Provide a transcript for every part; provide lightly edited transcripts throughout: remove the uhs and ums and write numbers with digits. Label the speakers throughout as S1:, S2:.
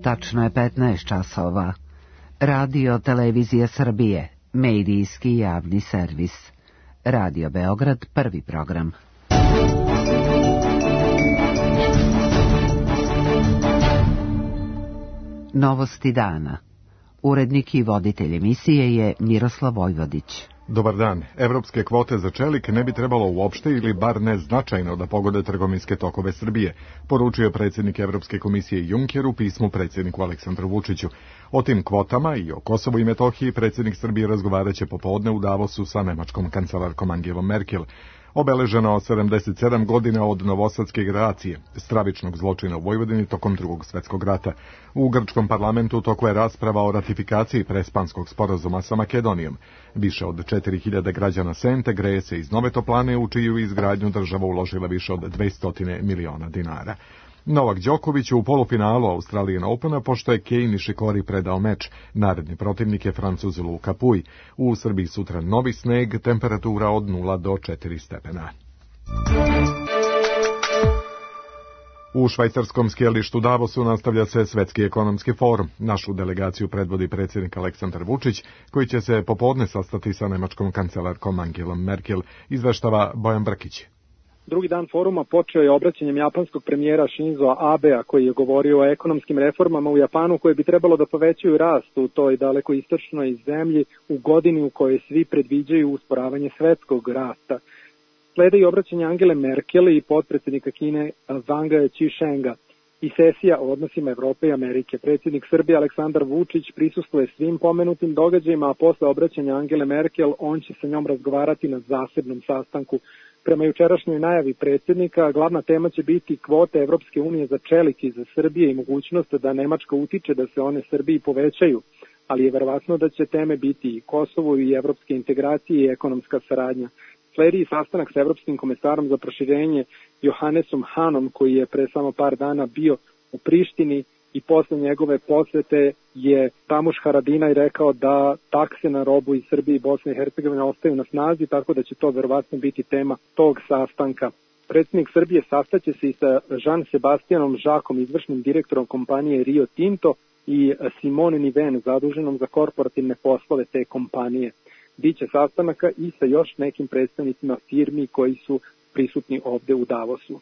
S1: Tačno je 15 časova. Radio Televizija Srbije, medijski javni servis. Radio Beograd, prvi program. Novosti dana. Urednik i voditelj emisije je Miroslav Vojvodić.
S2: Dobar dan. Evropske kvote za čelik ne bi trebalo uopšte ili bar ne značajno da pogode trgovinske tokove Srbije, poručio predsjednik Evropske komisije Juncker u pismu predsjedniku Aleksandru Vučiću. O tim kvotama i o Kosovu i Metohiji predsjednik Srbije razgovaraće popodne u Davosu sa nemačkom kancelarkom Angelom Merkel. Obeleženo 77 godina od novosadske generacije, stravičnog zločina u Vojvodini tokom Drugog svjetskog rata. U grčkom parlamentu toko je rasprava o ratifikaciji Prespanskog sporazuma sa Makedonijom. Više od 4000 građana Sente greje se iz Nove Toplane, u čiju izgradnju država uložila više od 200 miliona dinara. Novak Đoković u polufinalu Australian Opena, pošto je Kei Nishikori predao meč. Naredni protivnik je Francuz Luka Puj. U Srbiji sutra novi sneg, temperatura od 0 do 4 stepena. U švajcarskom skijalištu Davosu nastavlja se Svetski ekonomski forum. Našu delegaciju predvodi predsjednik Aleksandar Vučić, koji će se popodne sastati sa nemačkom kancelarkom Angelom Merkel, izveštava Bojan Brkić.
S3: Drugi dan foruma počeo je obraćanjem japanskog premijera Shinzo Abea, koji je govorio o ekonomskim reformama u Japanu koje bi trebalo da povećaju rast u toj daleko istočnoj zemlji u godini u kojoj svi predviđaju usporavanje svetskog rasta. Slede i obraćanje Angele Merkel i potpredsjednika Kine Wanga Qishenga i sesija o odnosima Evrope i Amerike. Predsjednik Srbije Aleksandar Vučić prisustvuje svim pomenutim događajima, a posle obraćanja Angele Merkel on će sa njom razgovarati na zasebnom sastanku. Prema jučerašnjoj najavi predsjednika, glavna tema će biti kvote Evropske unije za čelik iz Srbije i mogućnost da Nemačka utiče da se one Srbiji povećaju, ali je verovatno da će teme biti i Kosovo i evropske integracije i ekonomska saradnja. Sledi sastanak sa Evropskim komesarom za proširenje Johannesom Hanom, koji je pre samo par dana bio u Prištini, i posle njegove posete je Ramuš Haradinaj rekao da takse na robu iz Srbije i Bosne i Hercegovine ostaju na snazi, tako da će to verovatno biti tema tog sastanka. Predsjednik Srbije sastaće se i sa Jean Sebastianom Žakom, izvršnim direktorom kompanije Rio Tinto, i Simone Niven, zaduženom za korporativne poslove te kompanije. Biće sastanaka i sa još nekim predstavnicima firmi koji su prisutni ovde u Davosu.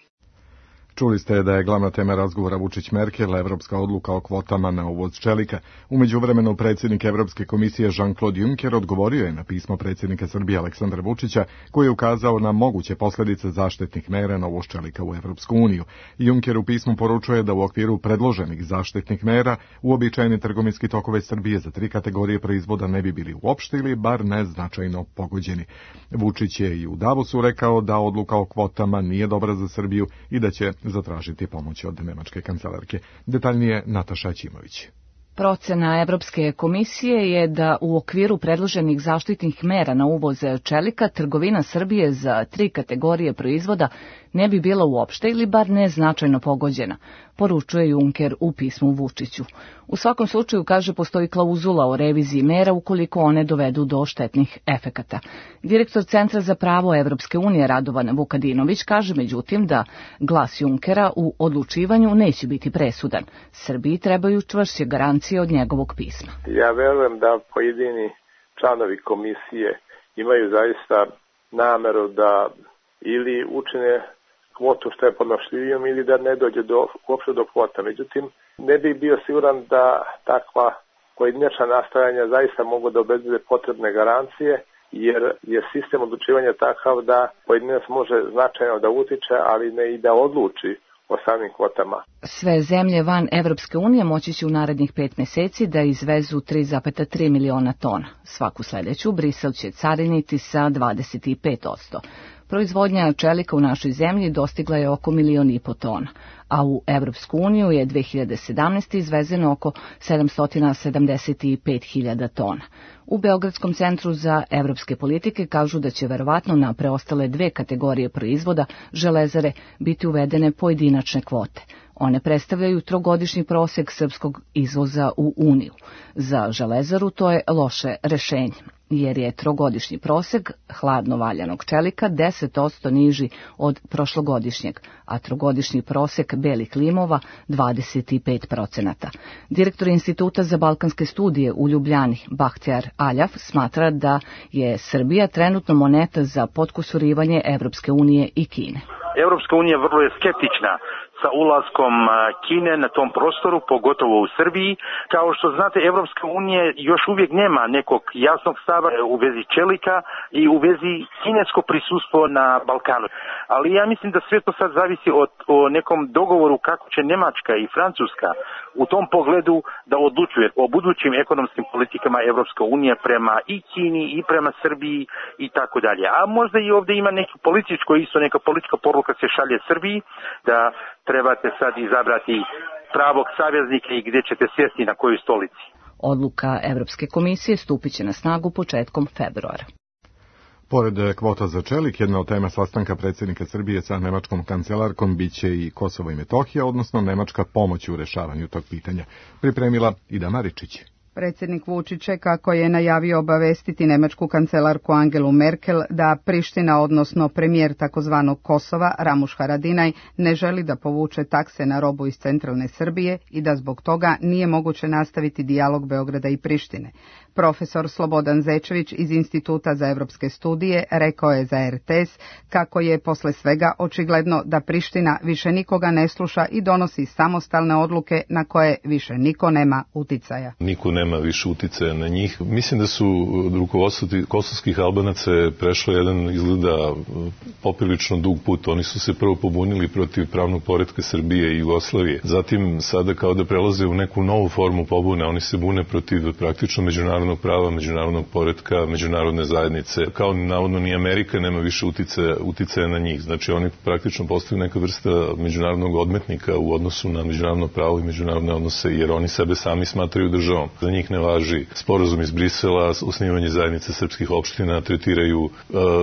S2: Čuli ste da je glavna tema razgovora Vučić-Merkel, evropska odluka o kvotama na uvoz čelika. U međuvremenu predsjednik Evropske komisije Jean-Claude Juncker odgovorio je na pismo predsjednika Srbije Aleksandra Vučića, koji je ukazao na moguće posljedice zaštitnih mera na uvoz čelika u Evropsku uniju. Juncker u pismu poručuje da u okviru predloženih zaštitnih mera uobičajeni trgovinski tokove Srbije za 3 kategorije proizvoda ne bi bili uopšte ili bar neznačajno pogođeni. Vučić je i u Davosu rekao da odluka o kvotama nije dobra za Srbiju i da će zatražiti pomoć od nemačke kancelarke. Detaljnije Nataša Ćimović.
S4: Procena Evropske komisije je da u okviru predloženih zaštitnih mera na uvoz čelika trgovina Srbije za 3 kategorije proizvoda ne bi bila uopšte ili bar neznačajno pogođena, poručuje Juncker u pismu Vučiću. U svakom slučaju, kaže, postoji klauzula o reviziji mera ukoliko one dovedu do štetnih efekata. Direktor Centra za pravo Evropske unije Radovan Vukadinović kaže međutim da glas Junckera u odlučivanju neće biti presudan. Srbiji trebaju čvršće garancije od njegovog pisma.
S5: Ja verujem da pojedini članovi komisije imaju zaista nameru da ili učine kvotu što je podnošljivijom ili da ne dođe uopšte do kvota. Međutim, ne bih bio siguran da takva pojedinačna nastojanja zaista mogu da obezbede potrebne garancije, jer je sistem odlučivanja takav da pojedinac može značajno da utiče, ali ne i da odluči o samim kvotama.
S4: Sve zemlje van Evropske unije moći će u narednih 5 meseci da izvezu 3,3 miliona tona. Svaku sledeću Brisel će cariniti sa 25%. Proizvodnja čelika u našoj zemlji dostigla je oko 1,5 miliona tona, a u Evropsku uniju je 2017. izvezeno oko 775.000 tona. U Beogradskom centru za evropske politike kažu da će verovatno na preostale 2 kategorije proizvoda železare biti uvedene pojedinačne kvote. One predstavljaju 3-godišnji prosjek srpskog izvoza u Uniju. Za železaru to je loše rešenje. jer je trogodišnji prosek hladno valjanog čelika 10% niži od prošlogodišnjeg, a trogodišnji prosek belih limova 25%. Direktor Instituta za balkanske studije u Ljubljani, Bahtjar Aljaf, smatra da je Srbija trenutno moneta za potkusurivanje Evropske unije i Kine.
S6: Evropska unija vrlo je skeptična sa ulaskom Kine na tom prostoru, pogotovo u Srbiji. Kao što znate, Evropska unija još uvijek nema nekog jasnog stava u vezi čelika i u vezi kinesko prisustvo na Balkanu. Ali ja mislim da sve to sad zavisi o nekom dogovoru kako će Nemačka i Francuska u tom pogledu da odlučuje o budućim ekonomskim politikama Evropska unija prema i Kini i prema Srbiji i tako dalje. A možda i ovdje ima neka politička poruka se šalje Srbiji da trebate sad izabrati pravog saveznika i gdje ćete sjesti na kojoj stolici.
S4: Odluka Evropske komisije stupit će na snagu početkom februara.
S2: Pored kvota za čelik, jedna od tema sastanka predsjednika Srbije sa nemačkom kancelarkom biće i Kosovo i Metohija, odnosno nemačka pomoć u rešavanju tog pitanja. Pripremila Ida Maričić.
S7: Predsjednik Vučić je, kako je najavio, obavestiti nemačku kancelarku Angelu Merkel da Priština, odnosno premijer takozvanog Kosova, Ramuš Haradinaj, ne želi da povuče takse na robu iz centralne Srbije i da zbog toga nije moguće nastaviti dijalog Beograda i Prištine. Profesor Slobodan Zečević iz Instituta za evropske studije rekao je za RTS kako je posle svega očigledno da Priština više nikoga ne sluša i donosi samostalne odluke na koje više niko nema uticaja.
S8: Niko nema više uticaja na njih. Mislim da su rukovodstvo kosovskih Albanaca prešlo jedan, izgleda, poprilično dug put. Oni su se prvo pobunili protiv pravnog poretka Srbije i Jugoslavije. Zatim sada kao da prelaze u neku novu formu pobune. Oni se bune protiv praktično međunarodnog prava, međunarodnog poretka, međunarodne zajednice. Kao navodno ni Amerika nema više uticaja na njih. Znači oni praktično postaju neka vrsta međunarodnog odmetnika u odnosu na međunarodno pravo i međunarodne odnose, jer oni sebe sami smatraju državom. Za njih ne važi sporazum iz Brisela, osnivanje zajednice srpskih opština, tretiraju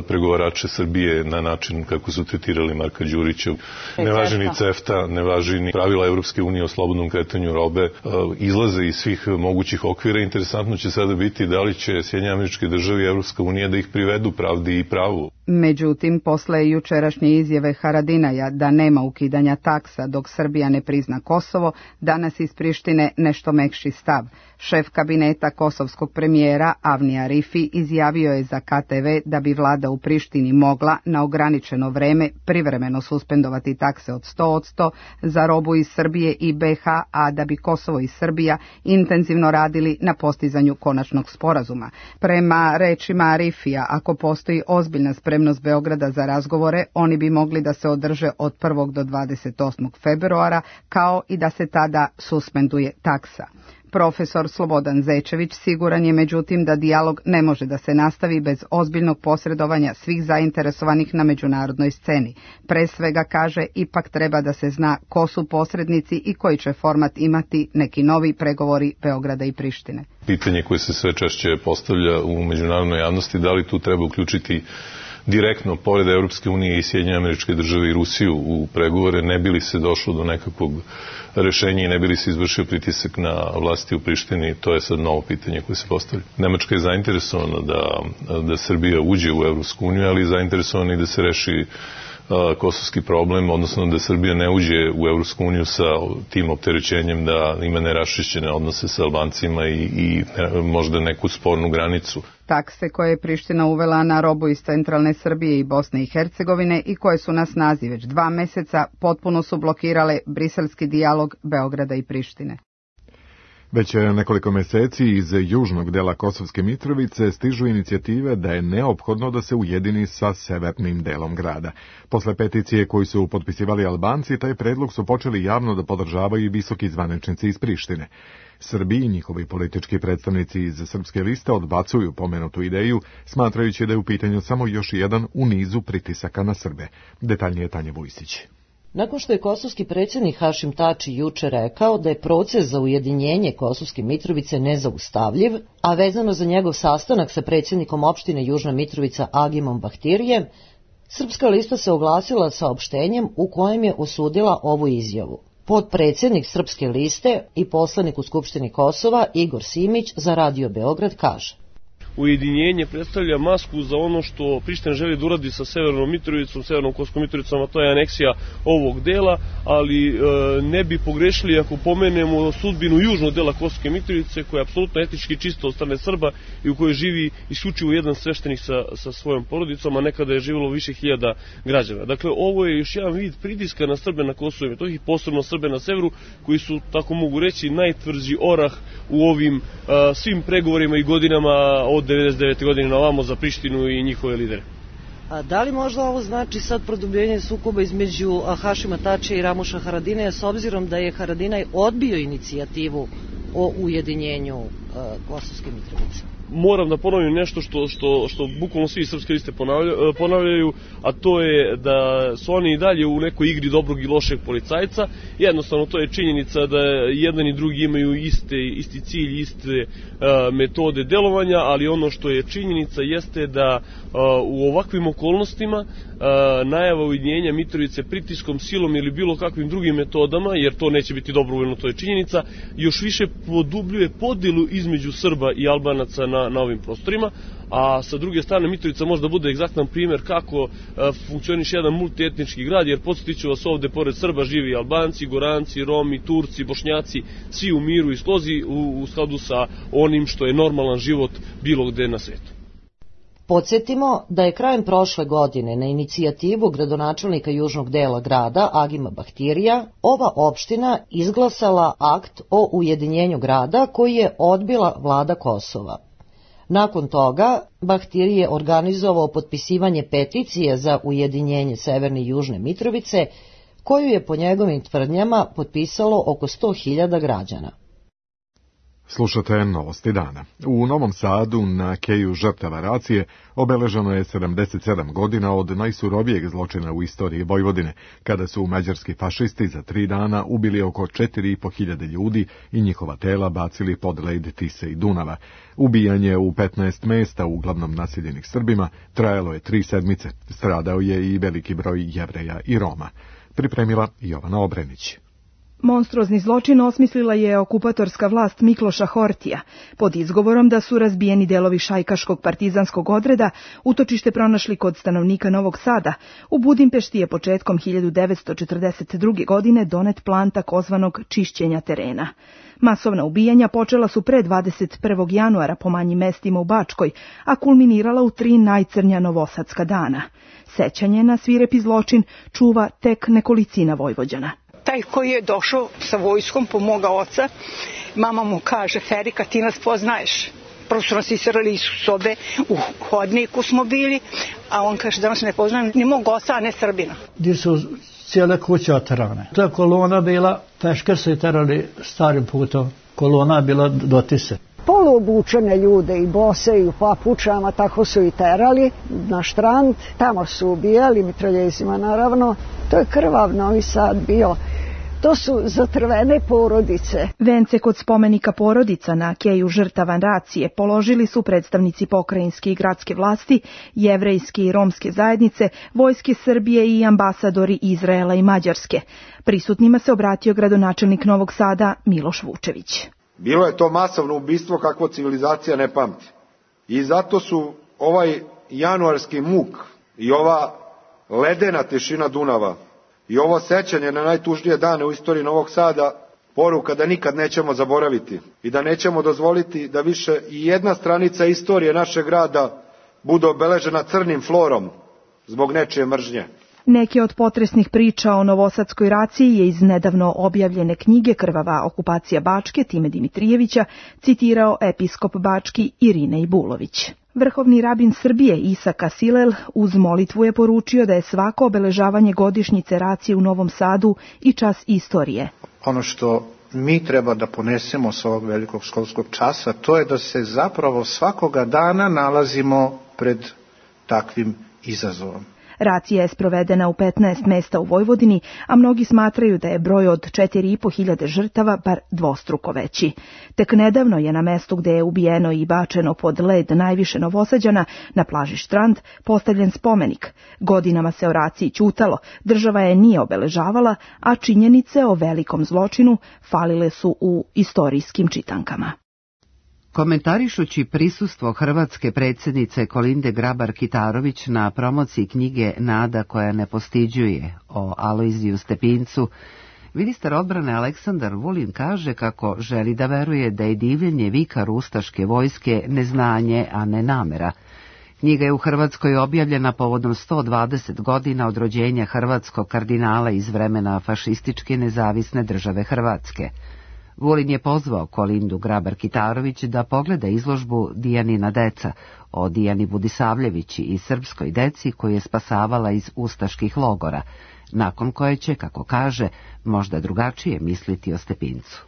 S8: pregovarače Srbije na način kako su tretirali Marka Đurića. Ne važi ni CEFTA, ne važi ni pravila Evropske unije o slobodnom kretanju robe, izlaze iz svih mogućih okvira. Interesantno će sada biti da li će Sjedinjene Američke Države i Evropska unija da ih privedu pravdi i pravu.
S7: Međutim, posle jučerašnje izjave Haradinaja da nema ukidanja taksa dok Srbija ne prizna Kosovo, danas iz Prištine nešto mekši stav. Šef kabineta kosovskog premijera Avni Arifi izjavio je za KTV da bi vlada u Prištini mogla na ograničeno vreme privremeno suspendovati takse od 100% za robu iz Srbije i BiH, a da bi Kosovo i Srbija intenzivno radili na postizanju konačnog sporazuma. Prema rečima Arifija, ako postoji ozbiljna spremnost Beograda za razgovore, oni bi mogli da se održe od 1. do 28. februara, kao i da se tada suspenduje taksa. Profesor Slobodan Zečević siguran je međutim da dijalog ne može da se nastavi bez ozbiljnog posredovanja svih zainteresovanih na međunarodnoj sceni. Pre svega, kaže, ipak treba da se zna ko su posrednici i koji će format imati neki novi pregovori Beograda i Prištine.
S8: Pitanje koje se sve češće postavlja u međunarodnoj javnosti, da li tu treba uključiti direktno, pored Evropske unije i Sjedinjene Američke Države i Rusiju u pregovore, ne bi li se došlo do nekakvog rešenja i ne bi li se izvršio pritisak na vlasti u Prištini, to je sad novo pitanje koje se postavlja. Nemačka je zainteresovana da Srbija uđe u Evropsku uniju, ali je zainteresovana i da se reši kosovski problem, odnosno da Srbija ne uđe u Evropsku uniju sa tim opterećenjem da ima neraščišćene odnose sa Albancima i možda neku spornu granicu.
S7: Takse koje je Priština uvela na robu iz centralne Srbije i Bosne i Hercegovine i koje su na snazi već 2 meseca potpuno su blokirale briselski dijalog Beograda i Prištine.
S2: Već nekoliko meseci iz južnog dela Kosovske Mitrovice stižu inicijative da je neophodno da se ujedini sa severnim delom grada. Posle peticije koju su potpisivali Albanci, taj predlog su počeli javno da podržavaju i visoki zvaničnici iz Prištine. Srbi i njihovi politički predstavnici iz Srpske liste odbacuju pomenutu ideju, smatrajući da je u pitanju samo još jedan u nizu pritisaka na Srbe. Detaljnije Tanja Vujsić.
S9: Nakon što je kosovski predsjednik Hašim Tači juče rekao da je proces za ujedinjenje Kosovske Mitrovice nezaustavljiv, a vezano za njegov sastanak sa predsjednikom opštine Južna Mitrovica Agimom Bahtirijem, Srpska lista se oglasila saopštenjem u kojem je osudila ovu izjavu. Potpredsjednik Srpske liste i poslanik u Skupštini Kosova Igor Simić za Radio Beograd kaže:
S10: ujedinjenje predstavlja masku za ono što Priština želi da uradi sa Severnom Mitrovicom, Severnom Kosovskom Mitrovicom, a to je aneksija ovog dela, ali ne bi pogrešili ako pomenemo sudbinu južnog dela Kosovske Mitrovice, koja je apsolutno etnički čista od strane Srba i u kojoj živi isključivo jedan sveštenik sa svojom porodicom, a nekada je živjelo više hiljada građana. Dakle, ovo je još jedan vid pritiska na Srbe na Kosovu i Metohiji, posebno Srbe na severu, koji su, tako mogu reći, najtvrđi orah u ovim svim pregovorima i godinama od 99. godine na ovamo za Prištinu i njihove lidere.
S9: A da li možda ovo znači sad produbljenje sukoba između Hašima Tačija i Ramuša Haradinaja, s obzirom da je Haradinaj odbio inicijativu o ujedinjenju Kosovske Mitrovice?
S10: Moram da ponovim nešto što bukvalno svi srpske liste ponavljaju, a to je da su oni i dalje u nekoj igri dobrog i lošeg policajca. Jednostavno, to je činjenica da jedan i drugi imaju isti cilj, iste metode delovanja, ali ono što je činjenica jeste da u ovakvim okolnostima najava ujedinjenja Mitrovice pritiskom, silom ili bilo kakvim drugim metodama, jer to neće biti dobrovoljno, to je činjenica, još više podubljuje podelu između Srba i Albanaca na ovim prostorima, a sa druge strane Mitrovica možda bude egzaktan primjer kako funkcioniše jedan multietnički grad, jer podsjetiću vas, ovde pored Srba živi Albanci, Goranci, Romi, Turci, Bošnjaci, svi u miru i slozi u skladu sa onim što je normalan život bilo gde na svetu.
S9: Podsjetimo da je krajem prošle godine na inicijativu gradonačelnika južnog dela grada Agima Bahtirija ova opština izglasala akt o ujedinjenju grada koji je odbila vlada Kosova. Nakon toga Bahtirije je organizovao potpisivanje peticije za ujedinjenje Severne i Južne Mitrovice, koju je po njegovim tvrdnjama potpisalo oko 100.000 građana.
S2: Slušate Novosti dana. U Novom Sadu na keju žrtava racije obeleženo je 77 godina od najsurovijeg zločina u istoriji Vojvodine, kada su mađarski fašisti za 3 dana ubili oko 4.500 ljudi i njihova tela bacili pod led Tise i Dunava. Ubijanje u 15 mesta, uglavnom naseljenih Srbima, trajalo je 3 sedmice. Stradao je i veliki broj Jevreja i Roma. Pripremila Jovana Obrenić.
S11: Monstruozni zločin osmislila je okupatorska vlast Mikloša Hortija, pod izgovorom da su razbijeni delovi šajkaškog partizanskog odreda, utočište pronašli kod stanovnika Novog Sada. U Budimpešti je početkom 1942. godine donet plan takozvanog čišćenja terena. Masovna ubijanja počela su pre 21. januara po manjim mestima u Bačkoj, a kulminirala u 3 najcrnja novosadska dana. Sećanje na svirepi zločin čuva tek nekolicina Vojvođana.
S12: Taj koji je došao sa vojskom po moga oca, mama mu kaže: Ferika, ti nas poznaješ. Prvo su nas isirali iz sobe, u hodniku smo bili, a on kaže da nas ne poznajem ni mog oca, a ne Srbina.
S13: Gdje su cijele kuće oterane. Ta kolona bila, pešker su i terali starim putom, kolona bila do Tise.
S14: Poluobučene ljude i bose i u papučama, tako su i terali na štrand, tamo su ubijali mitraljezima naravno. To je krvav Novi Sad bio. To su zatrvene porodice.
S11: Vence kod spomenika porodica na keju žrtava racije položili su predstavnici pokrajinske i gradske vlasti, jevrejske i romske zajednice, vojske Srbije i ambasadori Izraela i Mađarske. Prisutnima se obratio gradonačelnik Novog Sada Miloš Vučević.
S15: Bilo je to masovno ubistvo kakvo civilizacija ne pamti. I zato su ovaj januarski muk i ova ledena tišina Dunava i ovo sećanje na najtužnije dane u istoriji Novog Sada poruka da nikad nećemo zaboraviti i da nećemo dozvoliti da više i jedna stranica istorije našeg grada bude obeležena crnim florom zbog nečije mržnje.
S11: Neke od potresnih priča o novosadskoj raciji je iz nedavno objavljene knjige Krvava okupacija Bačke Time Dimitrijevića citirao episkop Bački Irinej Bulović. Vrhovni rabin Srbije Isaka Silel uz molitvu je poručio da je svako obeležavanje godišnjice racije u Novom Sadu i čas istorije.
S16: Ono što mi treba da ponesemo s ovog velikog školskog časa, to je da se zapravo svakoga dana nalazimo pred takvim izazovom.
S11: Racija je sprovedena u 15 mesta u Vojvodini, a mnogi smatraju da je broj od 4.500 žrtava bar dvostruko veći. Tek nedavno je na mestu gde je ubijeno i bačeno pod led najviše Novosađana, na plaži Štrand, postavljen spomenik. Godinama se o raciji ćutalo, država je nije obeležavala, a činjenice o velikom zločinu falile su u istorijskim čitankama.
S1: Komentarišući prisustvo hrvatske predsjednice Kolinde Grabar-Kitarović na promociji knjige Nada koja ne postiđuje o Alojziju Stepincu, ministar odbrane Aleksandar Vulin kaže kako želi da veruje da je divljenje vikar ustaške vojske neznanje, a ne namera. Knjiga je u Hrvatskoj objavljena povodom 120 godina od rođenja hrvatskog kardinala iz vremena fašističke nezavisne države Hrvatske. Vulin je pozvao Kolindu Grabar-Kitarović da pogleda izložbu Dijanina deca o Dijani Budisavljevići i srpskoj deci koju je spasavala iz ustaških logora, nakon koje će, kako kaže, možda drugačije misliti o Stepincu.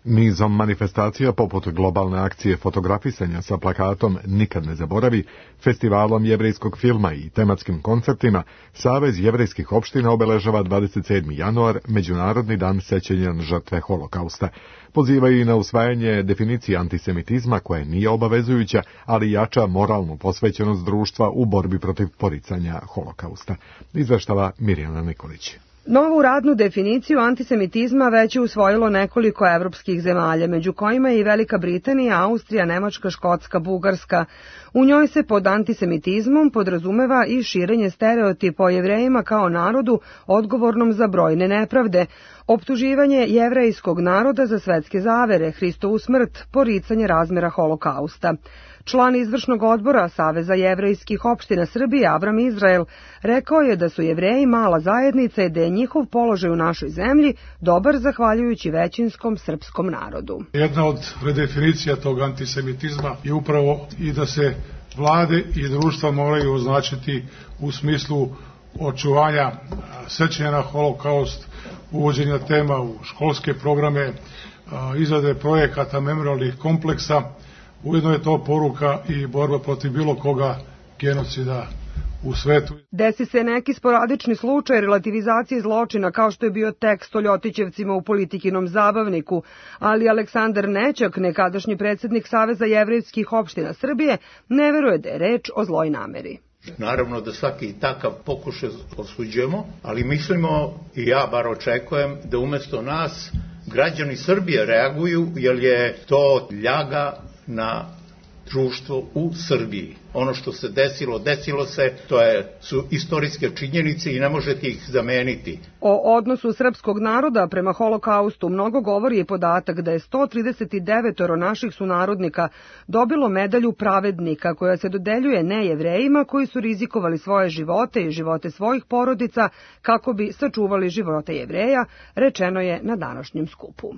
S2: Nizom manifestacija poput globalne akcije fotografisanja sa plakatom Nikad ne zaboravi, festivalom jevrejskog filma i tematskim koncertima, Savez jevrejskih opština obeležava 27. januar, Međunarodni dan sećanja na žrtve holokausta. Pozivaju i na usvajanje definicije antisemitizma koja nije obavezujuća, ali jača moralnu posvećenost društva u borbi protiv poricanja holokausta. Izveštava Mirjana Nikolić.
S17: Novu radnu definiciju antisemitizma već je usvojilo nekoliko evropskih zemalja, među kojima je i Velika Britanija, Austrija, Nemačka, Škotska, Bugarska. U njoj se pod antisemitizmom podrazumeva i širenje stereotipa o Jevrejima kao narodu odgovornom za brojne nepravde, optuživanje jevrejskog naroda za svetske zavere, Hristovu smrt, poricanje razmera holokausta. Član izvršnog odbora Saveza jevrejskih opština Srbije, Avram Izrael, rekao je da su Jevreji mala zajednica i da je njihov položaj u našoj zemlji dobar zahvaljujući većinskom srpskom narodu.
S18: Jedna od redefinicija tog antisemitizma je upravo i da se vlade i društva moraju označiti u smislu očuvanja sećanja na holokaust, uvođenja tema u školske programe, izrade projekata memorialnih kompleksa. Ujedno je to poruka i borba protiv bilo koga genocida u svetu.
S17: Desi se neki sporadični slučaj relativizacije zločina kao što je bio tekst o Ljotićevcima u Politikinom zabavniku, ali Aleksandar Nećak, nekadašnji predsjednik Saveza jevrejskih opština Srbije, ne veruje da je reč o zloj nameri.
S19: Naravno da svaki takav pokušaj osuđujemo, ali mislimo, i ja bar očekujem, da umesto nas građani Srbije reaguju, jer je to ljaga na društvo u Srbiji. Ono što se desilo se, su istorijske činjenice i ne možete ih zameniti.
S17: O odnosu srpskog naroda prema holokaustu mnogo govori i podatak da je 139 naših sunarodnika dobilo medalju pravednika koja se dodeljuje nejevrejima koji su rizikovali svoje živote i živote svojih porodica kako bi sačuvali živote Jevreja, rečeno je na današnjem skupu.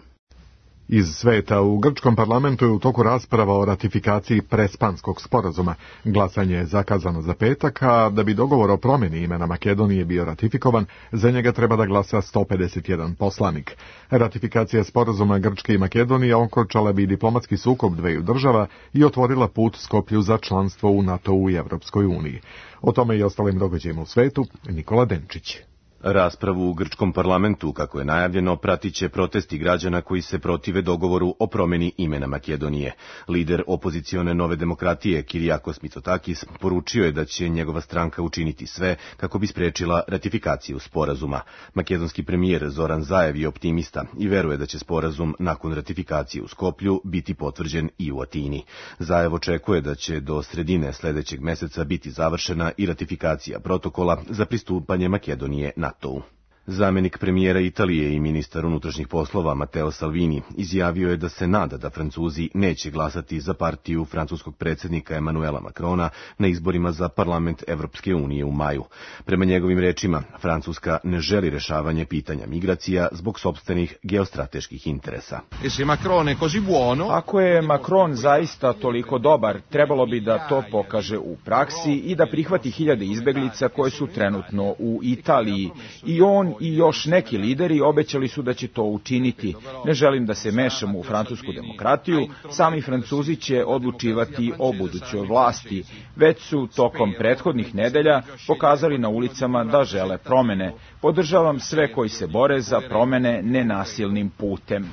S2: Iz sveta u grčkom parlamentu je u toku rasprava o ratifikaciji Prespanskog sporazuma. Glasanje je zakazano za petak, a da bi dogovor o promjeni imena Makedonije bio ratifikovan, za njega treba da glasa 151 poslanik. Ratifikacija sporazuma Grčke i Makedonije okončala bi diplomatski sukob dveju država i otvorila put Skoplju za članstvo u NATO-u i Evropskoj uniji. O tome i ostalim događajima u svetu, Nikola Denčić.
S20: Raspravu u grčkom parlamentu, kako je najavljeno, pratit će protesti građana koji se protive dogovoru o promjeni imena Makedonije. Lider opozicione Nove demokratije, Kirijakos Mitsotakis, poručio je da će njegova stranka učiniti sve kako bi sprečila ratifikaciju sporazuma. Makedonski premijer Zoran Zaev je optimista i veruje da će sporazum nakon ratifikacije u Skoplju biti potvrđen i u Atini. Zaev očekuje da će do sredine sljedećeg meseca biti završena i ratifikacija protokola za pristupanje Makedonije NATO-u. Zamenik premijera Italije i ministar unutrašnjih poslova Matteo Salvini izjavio je da se nada da Francuzi neće glasati za partiju francuskog predsjednika Emanuela Macrona na izborima za parlament Evropske unije u maju. Prema njegovim rečima, Francuska ne želi rešavanje pitanja migracija zbog sopstvenih geostrateških interesa.
S21: Ako je Macron zaista toliko dobar, trebalo bi da to pokaže u praksi i da prihvati hiljade izbeglica koje su trenutno u Italiji. I on i još neki lideri obećali su da će to učiniti. Ne želim da se mešam u francusku demokratiju, sami Francuzi će odlučivati o budućoj vlasti. Već su tokom prethodnih nedelja pokazali na ulicama da žele promene. Podržavam sve koji se bore za promene nenasilnim putem.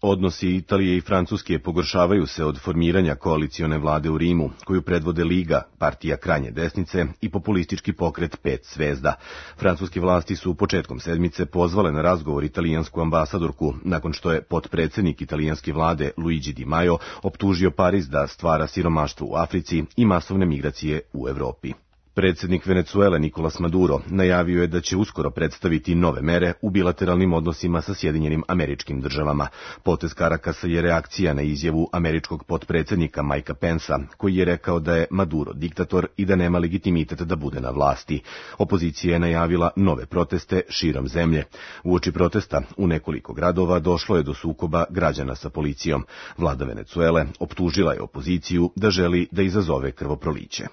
S20: Odnosi Italije i Francuske pogoršavaju se od formiranja koalicione vlade u Rimu, koju predvode Liga, partija krajnje desnice i populistički pokret Pet zvezda. Francuske vlasti su početkom sedmice pozvale na razgovor italijansku ambasadorku, nakon što je potpredsednik italijanske vlade Luigi Di Maio optužio Pariz da stvara siromaštvo u Africi i masovne migracije u Evropi. Predsjednik Venecuele Nicolas Maduro najavio je da će uskoro predstaviti nove mere u bilateralnim odnosima sa Sjedinjenim Američkim Državama. Potez Karakasa je reakcija na izjavu američkog potpredsjednika Mikea Pensa, koji je rekao da je Maduro diktator i da nema legitimitet da bude na vlasti. Opozicija je najavila nove proteste širom zemlje. Uoči protesta u nekoliko gradova došlo je do sukoba građana sa policijom. Vlada Venecuele optužila je opoziciju da želi da izazove krvoproliće.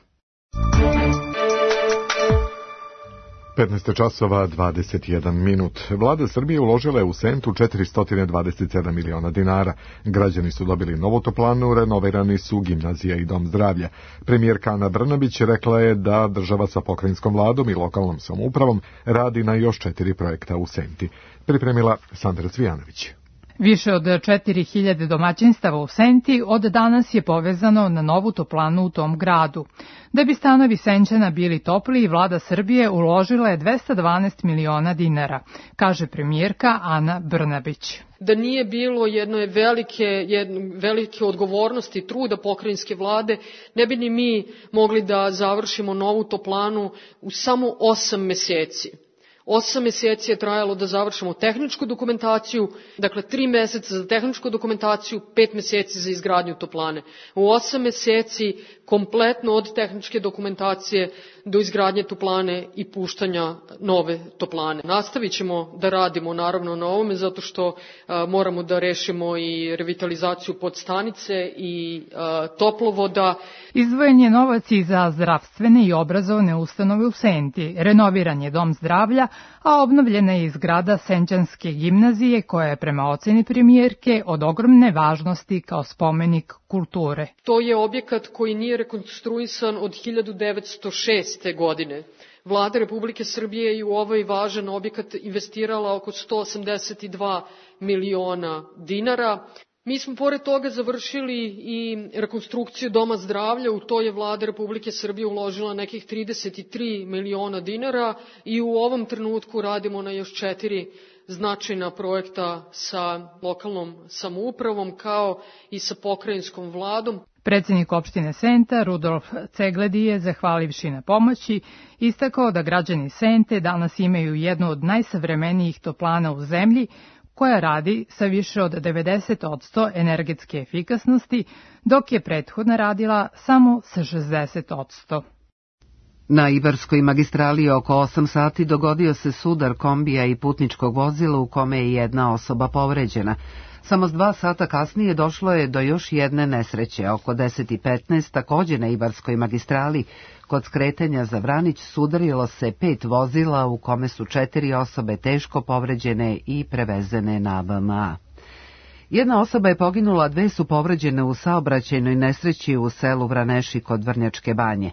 S2: 15 časova 21 minut. Vlada Srbije uložila je u Sentu 427 miliona dinara. Građani su dobili novu toplanu, renovirani su gimnazija i dom zdravlja. Premijerka Ana Brnabić rekla je da država sa pokrajinskom vladom i lokalnom samoupravom radi na još 4 projekta u Senti. Pripremila Sandra Cvijanović.
S3: Više od 4000 domaćinstava u Senti od danas je povezano na novu toplanu u tom gradu. Da bi stanovi Senćana bili topliji, vlada Srbije uložila je 212 miliona dinara, kaže premijerka Ana Brnabić.
S22: Da nije bilo jedne velike odgovornosti i truda pokrajinske vlade, ne bi ni mi mogli da završimo novu toplanu u samo 8 meseci. 8 meseci je trajalo da završimo tehničku dokumentaciju, dakle 3 meseca za tehničku dokumentaciju, 5 meseci za izgradnju toplane. U 8 meseci kompletno od tehničke dokumentacije do izgradnje toplane i puštanja nove toplane. Nastavit ćemo da radimo naravno na ovome zato što moramo da rešimo i revitalizaciju podstanice i toplovoda.
S3: Izdvojen je novac i za zdravstvene i obrazovne ustanove u Senti, renoviran je dom zdravlja, a obnovljena je i zgrada Senćanske gimnazije koja je prema oceni premijerke od ogromne važnosti kao spomenik kulture.
S22: To je objekat koji nije rekonstruisan od 1906. godine. Vlada Republike Srbije je u ovaj važan objekat investirala oko 182 miliona dinara. Mi smo pored toga završili i rekonstrukciju doma zdravlja, u to je Vlada Republike Srbije uložila nekih 33 miliona dinara i u ovom trenutku radimo na još 4 značajna projekta sa lokalnom samoupravom kao i sa pokrajinskom vladom.
S3: Predsjednik opštine Senta, Rudolf Cegledi, je, zahvalivši na pomoći, istakao da građani Sente danas imaju jednu od najsavremenijih toplana u zemlji, koja radi sa više od 90% energetske efikasnosti, dok je prethodna radila samo sa 60%.
S1: Na Ibarskoj magistrali oko 8 sati dogodio se sudar kombija i putničkog vozila u kome je jedna osoba povređena. Samo 2 sata kasnije došlo je do još jedne nesreće. Oko 10:15 također na Ibarskoj magistrali kod skretanja za Vranić sudarilo se 5 vozila u kome su 4 osobe teško povređene i prevezene na BMA. Jedna osoba je poginula, 2 su povređene u saobraćajnoj nesreći u selu Vraneši kod Vrnjačke banje.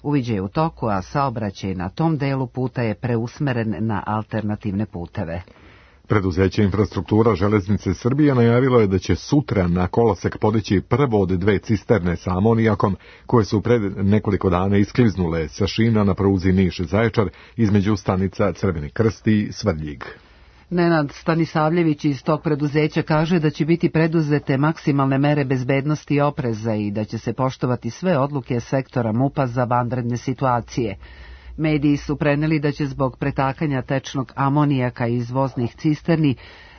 S1: Uviđaj je u toku, a saobraćaj na tom delu puta je preusmeren na alternativne puteve.
S2: Preduzeće Infrastruktura železnice Srbije najavilo je da će sutra na kolosek podići prvo od 2 cisterne sa amonijakom koje su pred nekoliko dana iskliznule sa šina na pruzi Niš-Zaječar između stanica Crveni krst i Svrdljig.
S1: Nenad Stanisavljević iz tog preduzeća kaže da će biti preduzete maksimalne mere bezbednosti i opreza i da će se poštovati sve odluke sektora MUP-a za vanredne situacije. Mediji su preneli da će zbog pretakanja tečnog amonijaka iz voznih cisterni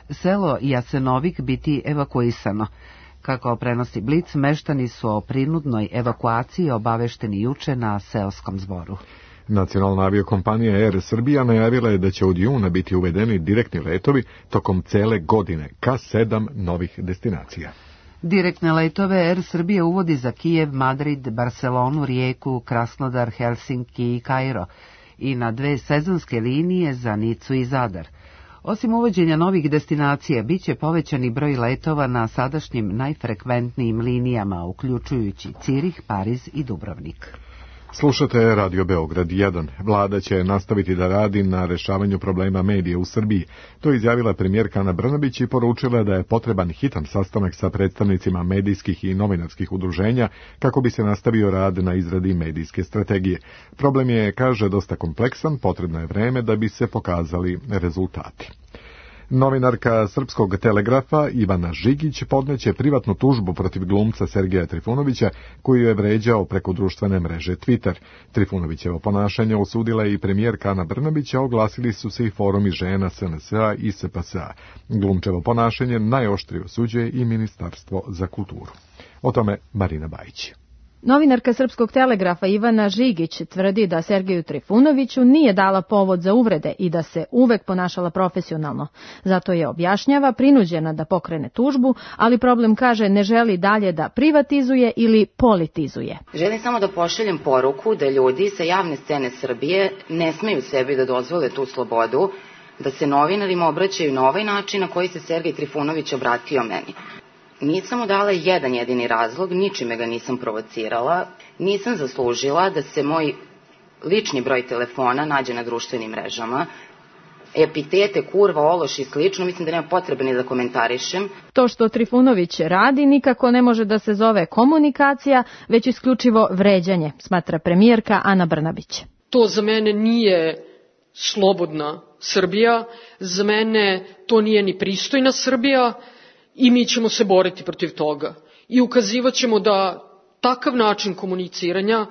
S1: selo Jasenovik biti evakuisano. Kako prenosi Blic, meštani su o prinudnoj evakuaciji obavešteni juče na seoskom zboru.
S2: Nacionalna aviokompanija Air Srbija najavila je da će od juna biti uvedeni direktni letovi tokom cele godine ka 7 novih destinacija.
S1: Direktne letove Air Srbija uvodi za Kijev, Madrid, Barcelonu, Rijeku, Krasnodar, Helsinki i Kairo i na 2 sezonske linije za Nicu i Zadar. Osim uvođenja novih destinacija, bit će povećani broj letova na sadašnjim najfrekventnijim linijama, uključujući Cirih, Pariz i Dubrovnik.
S2: Slušate Radio Beograd 1. Vlada će nastaviti da radi na rešavanju problema medija u Srbiji. To je izjavila premijerka Ana Brnabić i poručila da je potreban hitan sastanak sa predstavnicima medijskih i novinarskih udruženja kako bi se nastavio rad na izradi medijske strategije. Problem je, kaže, dosta kompleksan, potrebno je vreme da bi se pokazali rezultati. Novinarka Srpskog telegrafa Ivana Žigić podneće privatnu tužbu protiv glumca Sergeja Trifunovića koji je vređao preko društvene mreže Twitter. Trifunovićevo ponašanje osudila je i premijerka Ana Brnabić, a oglasili su se i forumi žena SNS-a i SPS-a. Glumčevo ponašanje najoštrije osuđuje i Ministarstvo za kulturu. O tome Marina Bajić.
S5: Novinarka Srpskog telegrafa Ivana Žigić tvrdi da Sergeju Trifunoviću nije dala povod za uvrede i da se uvek ponašala profesionalno. Zato je, objašnjava, prinuđena da pokrene tužbu, ali problem, kaže, ne želi dalje da privatizuje ili politizuje.
S6: Želim samo da pošaljem poruku da ljudi sa javne scene Srbije ne smeju sebi da dozvole tu slobodu, da se novinarima obraćaju na ovaj način na koji se Sergej Trifunović obratio meni. Nisam mu dala jedan jedini razlog, ničime ga nisam provocirala, nisam zaslužila da se moj lični broj telefona nađe na društvenim mrežama. Epitete, kurva, ološ i slično, mislim da nema potrebe ni da komentarišem.
S5: To što Trifunović radi nikako ne može da se zove komunikacija, već isključivo vređanje, smatra premijerka Ana Brnabić.
S22: To za mene nije slobodna Srbija, za mene to nije ni pristojna Srbija, i mi ćemo se boriti protiv toga i ukazivat ćemo da takav način komuniciranja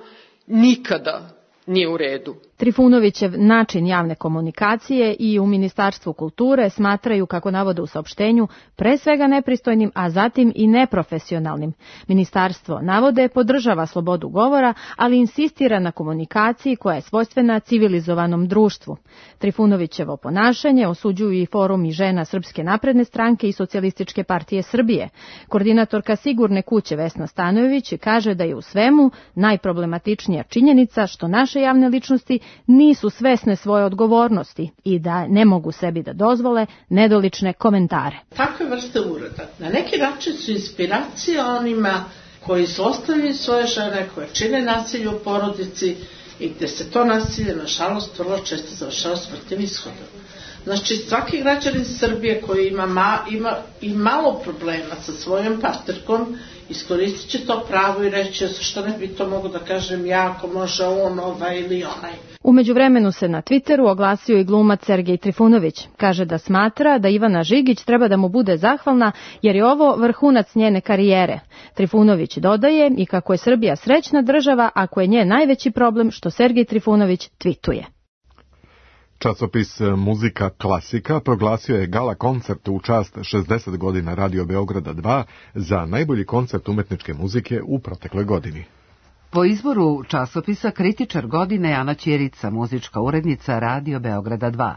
S22: nikada nije u redu.
S5: Trifunovićev način javne komunikacije i u Ministarstvu kulture smatraju, kako navode u saopštenju, pre svega nepristojnim, a zatim i neprofesionalnim. Ministarstvo, navode, podržava slobodu govora, ali insistira na komunikaciji koja je svojstvena civilizovanom društvu. Trifunovićevo ponašanje osuđuju i forumi žena Srpske napredne stranke i Socijalističke partije Srbije. Koordinatorka Sigurne kuće Vesna Stanojević kaže da je u svemu najproblematičnija činjenica što naše javne ličnosti nisu svesne svoje odgovornosti i da ne mogu sebi da dozvole nedolične komentare.
S23: Takve vrste ureda na neki način su inspiracija onima koji su ostavili svoje žene, koje čine nasilje u porodici i gde se to nasilje, nažalost, vrlo često završava smrtnim ishodom. Znači, svaki građanin Srbije koji ima i malo problema sa svojom partnerkom, iskoristit će to pravo i reći što ne bi to mogu da kažem ja, ako može on, ili onaj.
S5: U međuvremenu se na Twitteru oglasio i glumac Sergej Trifunović. Kaže da smatra da Ivana Žigić treba da mu bude zahvalna jer je ovo vrhunac njene karijere. Trifunović dodaje i kako je Srbija srećna država, ako je njen najveći problem što Sergej Trifunović tvituje.
S2: Časopis Muzika klasika proglasio je gala koncert u čast 60 godina Radio Beograda 2 za najbolji koncert umetničke muzike u protekloj godini.
S1: Po izboru časopisa kritičar godine Ana Ćirica, muzička urednica Radio Beograda 2.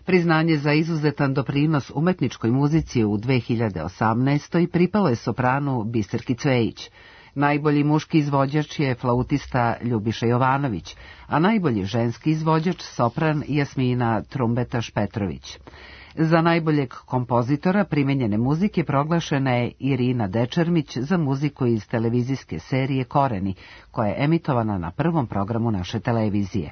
S1: Priznanje za izuzetan doprinos umetničkoj muzici u 2018. pripalo je sopranu Biserki Cvejić. Najbolji muški izvođač je flautista Ljubiša Jovanović, a najbolji ženski izvođač sopran Jasmina Trumbetaš-Petrović. Za najboljeg kompozitora primenjene muzike proglašena je Irina Dečermić za muziku iz televizijske serije Koreni, koja je emitovana na prvom programu naše televizije.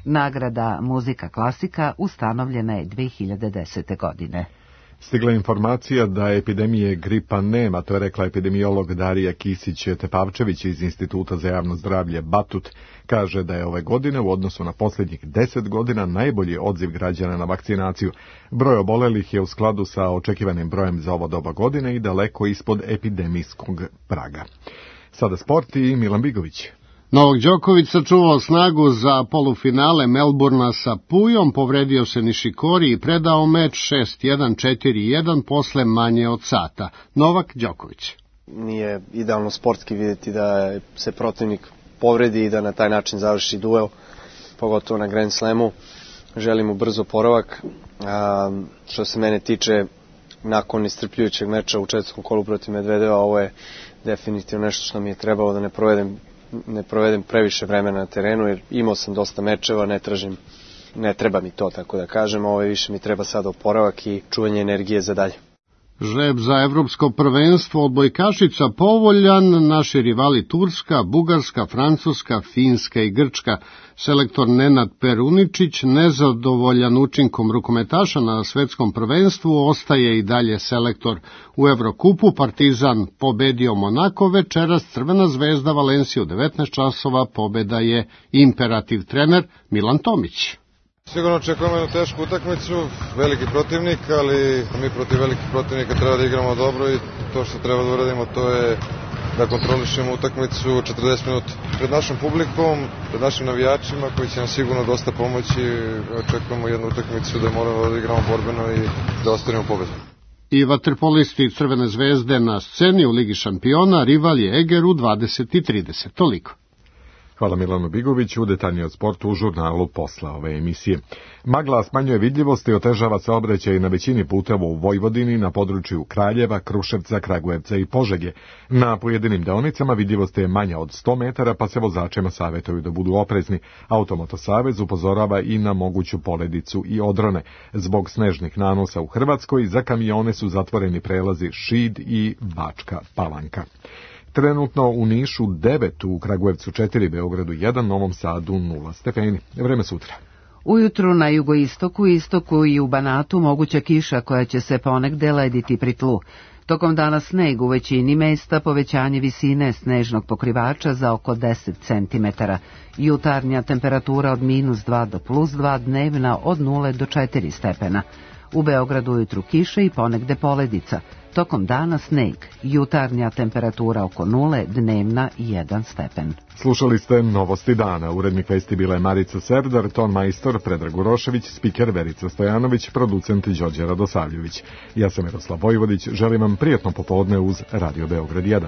S1: Nagrada Muzika klasika ustanovljena je 2010. godine.
S2: Stigla informacija da epidemije gripa nema, to je rekla epidemiolog Darija Kisić-Tepavčević iz Instituta za javno zdravlje Batut. Kaže da je ove godine u odnosu na posljednjih 10 godina najbolji odziv građana na vakcinaciju. Broj obolelih je u skladu sa očekivanim brojem za ovo doba godine i daleko ispod epidemijskog praga. Sada sport i Milan Bigović.
S24: Novak Đoković sačuvao snagu za polufinale Melburna sa Pujom, povredio se Nišikori i predao meč 6-1, 4-1 posle manje od sata. Novak Đoković.
S25: Nije idealno sportski vidjeti da se protivnik povredi i da na taj način završi duel, pogotovo na Grand Slamu. Želim mu brzo oporavak. Što se mene tiče, nakon iscrpljujućeg meča u četvrtom kolu protiv Medvedeva, ovo je definitivno nešto što mi je trebalo da ne provedem previše vremena na terenu, jer imao sam dosta mečeva, ne treba mi to, tako da kažem, više mi treba sada oporavak i čuvanje energije za dalje.
S24: Žreb za evropsko prvenstvo odbojkašica povoljan, naši rivali Turska, Bugarska, Francuska, Finska i Grčka. Selektor Nenad Peruničić, nezadovoljan učinkom rukometaša na svetskom prvenstvu, ostaje i dalje selektor. U Evrokupu Partizan pobedio Monako, večeras Crvena zvezda Valenciju u 19 časova, pobeda je imperativ. Trener Milan Tomić.
S4: Sigurno očekujemo jednu tešku utakmicu, veliki protivnik, ali mi protiv velikih protivnika treba da igramo dobro i to što treba da uradimo to je da kontrolišemo utakmicu 40 minuta. Pred našom publikom, pred našim navijačima koji će nam sigurno dosta pomoći, očekujemo jednu utakmicu da moramo da igramo borbeno i da ostvarimo pobedu.
S24: I vaterpolisti Crvene zvezde na sceni u Ligi šampiona, rival je Eger u 20:30. Toliko.
S2: Hvala Milanu Bigoviću, detaljnije od sportu u žurnalu posle ove emisije. Magla smanjuje vidljivost i otežava saobraćaj na većini puteva u Vojvodini, na području Kraljeva, Kruševca, Kragujevca i Požege. Na pojedinim deonicama vidljivost je manja od 100 metara, pa se vozačima savjetuju da budu oprezni. Automoto savez upozorava i na moguću poledicu i odrone. Zbog snežnih nanosa u Hrvatskoj za kamione su zatvoreni prelazi Šid i Bačka Palanka. Trenutno u Nišu 9, u Kragujevcu 4, Beogradu 1, Novom Sadu 0 stepeni. Vreme sutra.
S1: Ujutru na jugoistoku, istoku i u Banatu moguća kiša koja će se ponegde lediti pri tlu. Tokom dana sneg u većini mesta, povećanje visine snežnog pokrivača za oko 10 cm. Jutarnja temperatura od -2 do +2, dnevna od 0 do 4 stepena. U Beogradu ujutru kiša i ponegde poledica. Tokom dana sneg, jutarnja temperatura oko 0, dnevna 1 stepen.
S2: Slušali ste Novosti dana. Urednik vesti bila je Marica Serdar, ton majstor Predrag Urošević, spiker Verica Stojanović, producent Đorđe Radosavljević. Ja sam Miroslav Vojvodić, želim vam prijatno popodne uz Radio Beograd 1.